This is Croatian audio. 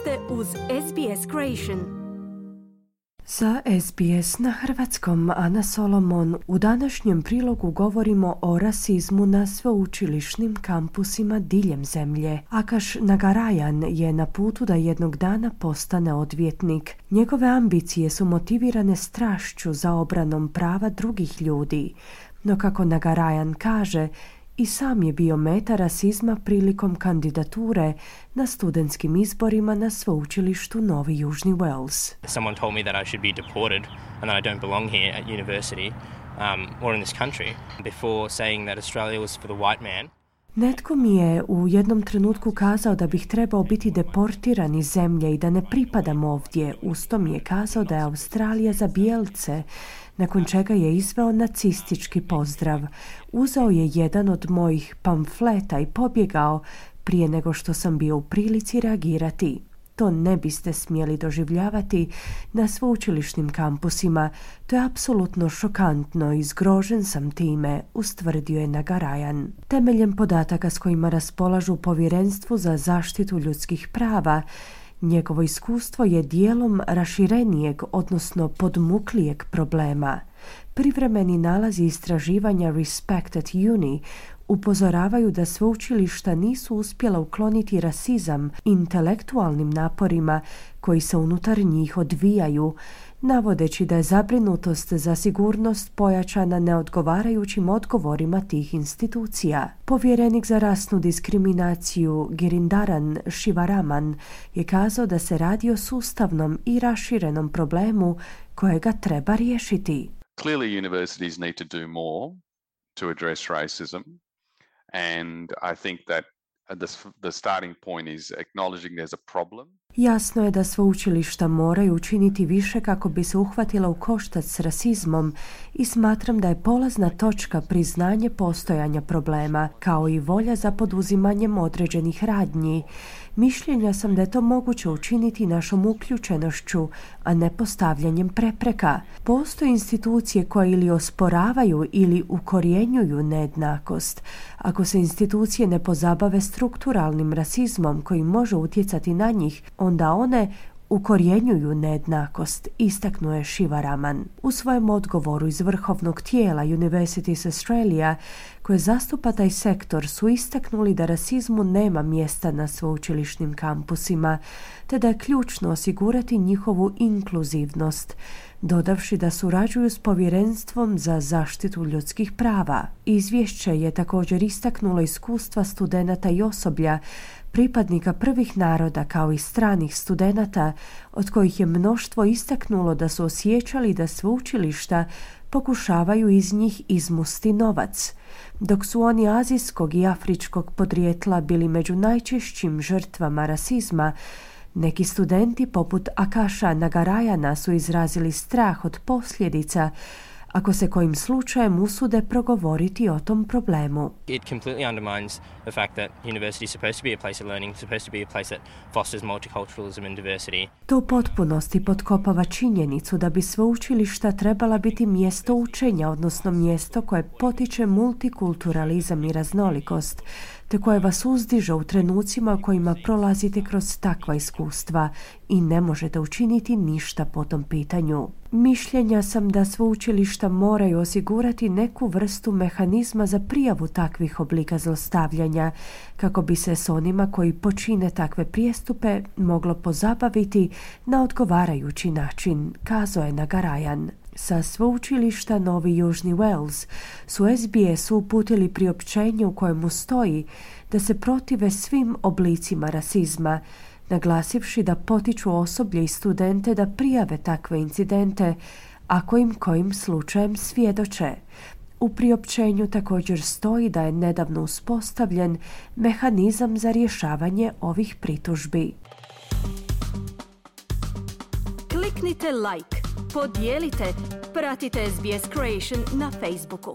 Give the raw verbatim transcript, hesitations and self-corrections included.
ste uz S B S Creation. Za S B S na hrvatskom Ana Solomon. U današnjem prilogu govorimo o rasizmu na sveučilišnim kampusima diljem zemlje. Akash Nagarajan je na putu da jednog dana postane odvjetnik. Njegove ambicije su motivirane strašću za obranom prava drugih ljudi. No kako Nagarajan kaže, i sam je bio meta rasizma prilikom kandidature na studentskim izborima na sveučilištu Novi Južni Wales. Someone told me that I should be deported and that I don't belong here at university um, or in this country before saying that Australia was for the white man. Netko mi je u jednom trenutku kazao da bih trebao biti deportiran iz zemlje i da ne pripadam ovdje. Usto mi je kazao da je Australija za bijelce, nakon čega je izveo nacistički pozdrav. Uzeo je jedan od mojih pamfleta i pobjegao prije nego što sam bio u prilici reagirati. To ne biste smjeli doživljavati na sveučilišnim kampusima. To je apsolutno šokantno i zgrožen sam time, ustvrdio je Nagarajan. Temeljem podataka s kojima raspolažu Povjerenstvu za zaštitu ljudskih prava, njegovo iskustvo je dijelom raširenijeg, odnosno podmuklijeg problema. Privremeni nalazi istraživanja Respect at Uni upozoravaju da sveučilišta nisu uspjela ukloniti rasizam intelektualnim naporima koji se unutar njih odvijaju, navodeći da je zabrinutost za sigurnost pojačana neodgovarajućim odgovorima tih institucija. Povjerenik za rasnu diskriminaciju Girindaran Shivaraman je kazao da se radi o sustavnom i raširenom problemu kojega treba riješiti. Clearly universities need to do more to address racism, and I think that the, the starting point is acknowledging there's a problem. Jasno je da sveučilišta moraju učiniti više kako bi se uhvatila u koštac s rasizmom i smatram da je polazna točka priznanje postojanja problema, kao i volja za poduzimanjem određenih radnji. Mišljenja sam da je to moguće učiniti našom uključenošću, a ne postavljanjem prepreka. Postoje institucije koje ili osporavaju ili ukorjenjuju nejednakost. Ako se institucije ne pozabave strukturalnim rasizmom koji može utjecati na njih, onda one ukorjenjuju nejednakost, istaknuo je Shivaraman. U svojem odgovoru iz vrhovnog tijela Universities Australia, koje zastupa taj sektor, su istaknuli da rasizmu nema mjesta na sveučilišnim kampusima, te da je ključno osigurati njihovu inkluzivnost, dodavši da surađuju s Povjerenstvom za zaštitu ljudskih prava. Izvješće je također istaknulo iskustva studenata i osoblja, pripadnika prvih naroda kao i stranih studenata, od kojih je mnoštvo istaknulo da su osjećali da sveučilišta pokušavaju iz njih izmusti novac. Dok su oni azijskog i afričkog podrijetla bili među najčešćim žrtvama rasizma, neki studenti poput Akasha Nagarajana su izrazili strah od posljedica ako se kojim slučajem usude progovoriti o tom problemu. It completely undermines the fact that university is supposed to be a place of learning, supposed to be a place that fosters multiculturalism and diversity. To u potpunosti potkopava činjenicu da bi sveučilišta trebala biti mjesto učenja, odnosno mjesto koje potiče multikulturalizam i raznolikost, te koje vas uzdiže u trenucima u kojima prolazite kroz takva iskustva i ne možete učiniti ništa po tom pitanju. Mišljenja sam da sveučilišta moraju osigurati neku vrstu mehanizma za prijavu takvih oblika zlostavljanja, kako bi se s onima koji počine takve prijestupe moglo pozabaviti na odgovarajući način, kazao je Nagarajan. Sa sveučilišta Novi Južni Wales su S B S uputili priopćenje u kojemu stoji da se protive svim oblicima rasizma, naglasivši da potiču osoblje i studente da prijave takve incidente ako im kojim slučajem svjedoče. U priopćenju također stoji da je nedavno uspostavljen mehanizam za rješavanje ovih pritužbi. Kliknite like, podijelite, pratite S B S Creation na Facebooku.